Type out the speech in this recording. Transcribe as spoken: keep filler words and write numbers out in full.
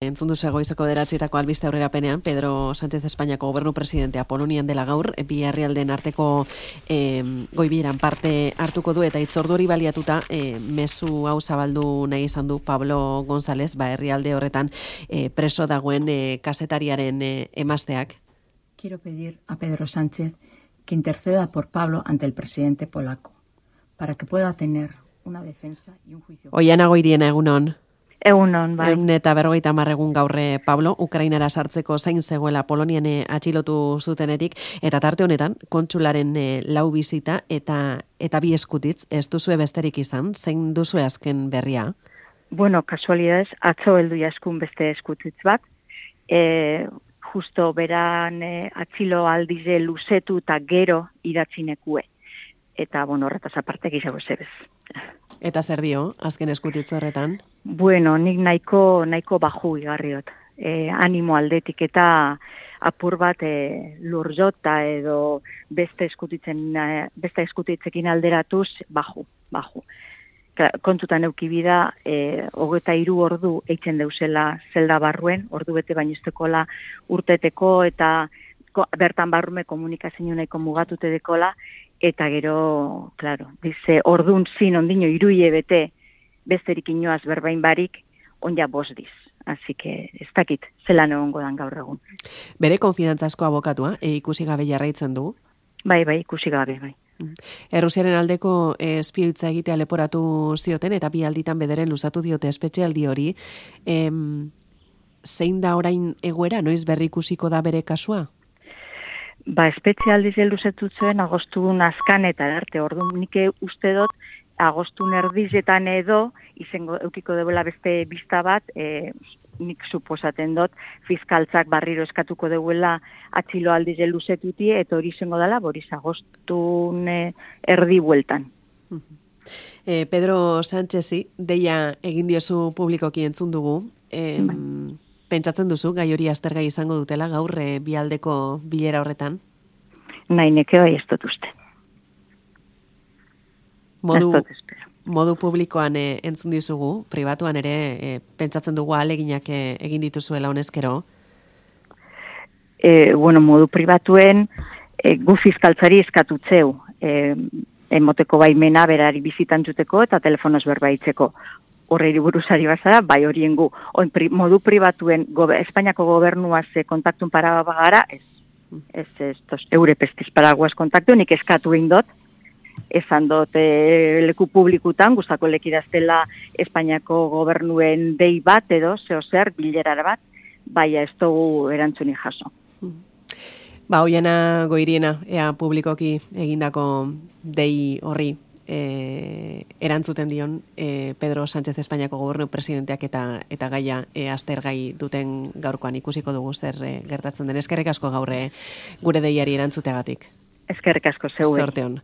Entzun duzu goizeko bederatzietako albiste aurrerapenean, Pedro Sánchez Espainiako gobernu presidentea Polonian dela gaur, bi herrialdeen arteko eh, goibieran parte hartuko du, eta hitzordu hori baliatuta eh, mezu hau zabaldu nahi izan du Pablo González, ba herrialde horretan eh, preso dagoen eh, kazetariaren eh, emazteak. Quiero pedir a Pedro Sánchez que interceda por Pablo ante el presidente polaco, para que pueda tener una defensa y un juicio. Oiana Goiriena, egunon. Egunon, bai. Egun eta berrogeita hamar egun gaurre, Pablo, Ukrainara sartzeko zain zegoela Polonian atxilotu zutenetik, eta tarte honetan, kontsularen e, lau bizita eta eta bi eskutitz, ez duzue besterik izan, zein duzue azken berria? Bueno, kasualidades, atzo heldu jaskun beste eskutitz bat, e, justo beran e, atxilo aldize luzetu eta gero idatzinekue. Eta, bueno, horretaz aparte gizago zebez. Eta zer dio, azken eskutitz horretan? Bueno, nik nahiko, nahiko baju igarriot. E, animo aldetik eta apur bat e, lurjota edo beste eskutitzen, beste eskutitzekin alderatuz baju, baju. Kontutan eukibida, e, hogeta hiru ordu eitzen deuzela zelda barruen, ordu bete bainuztekola urteteko eta ko, bertan barrume komunikazio nahiko mugatute dekola, eta gero, claro, dice, ordun zin ondino iruie bete besterik inoaz berbain barik, onja bosdiz. Así que, ez dakit, zelan egongo dan gaur egun. Bere konfidantzasko abokatua, e, ikusi gabe jarraitzen du? Bai, bai, ikusi gabe, bai. Errusiaren aldeko espioitza egitea leporatu zioten, eta bi alditan bederen luzatu diote espetxealdi hori. Em, zein da orain egoera, noiz berri ikusiko da bere kasua? Ba, espezialdiz helduzetu zuen agostun azkan eta arte, ordu nik uste dut agostun erdizetan edo izango eukiko debela beste bista bat, e, nik suposaten dut fiskaltzak barriro eskatuko deuela atxilo aldiz helduzetuti, eta hori izango dela, boriz agostun e, erdi bueltan. E, Pedro Sánchezi, deia egin diozu publikoki entzun dugu, e, pentsatzen duzu, gai hori aztergai izango dutela gaur e, bialdeko bilera horretan? Nahi neke bai ez dut uste. Modu, modu publikoan e, entzun dizugu, pribatuan ere, e, pentsatzen dugu aleginak e, egin dituzuela honezkero? E, bueno, modu pribatuen e, gu fiskaltzari eskatutzeu, e, emoteko baimena berari bizitantzuteko eta telefonoz berbaitzeko. Horreiri buruzari bazara, bai horien gu. Oin, pri, modu pribatuen gobe, Espainiako gobernuaz kontaktun para bagara, ez, ez, ez, tos, eure pestiz paraguaz kontaktu, nik eskatu indot, esan dut e, leku publikutan, guztako lekidaztela Espainiako gobernuen dei bat edo, zeo zer, bilerara bat, baina ez dugu erantzuni jaso. Ba, Oiana Goiriena, ea publikoki egindako dei horri, E, erantzuten dion e, Pedro Sánchez Espainiako gobernu presidenteak eta eta gaia e, aztergai duten gaurkoan ikusiko dugu zer e, gertatzen den. Eskerrik asko gaur gure deiari erantzuteagatik. Eskerrik asko zeuei. Zorte on.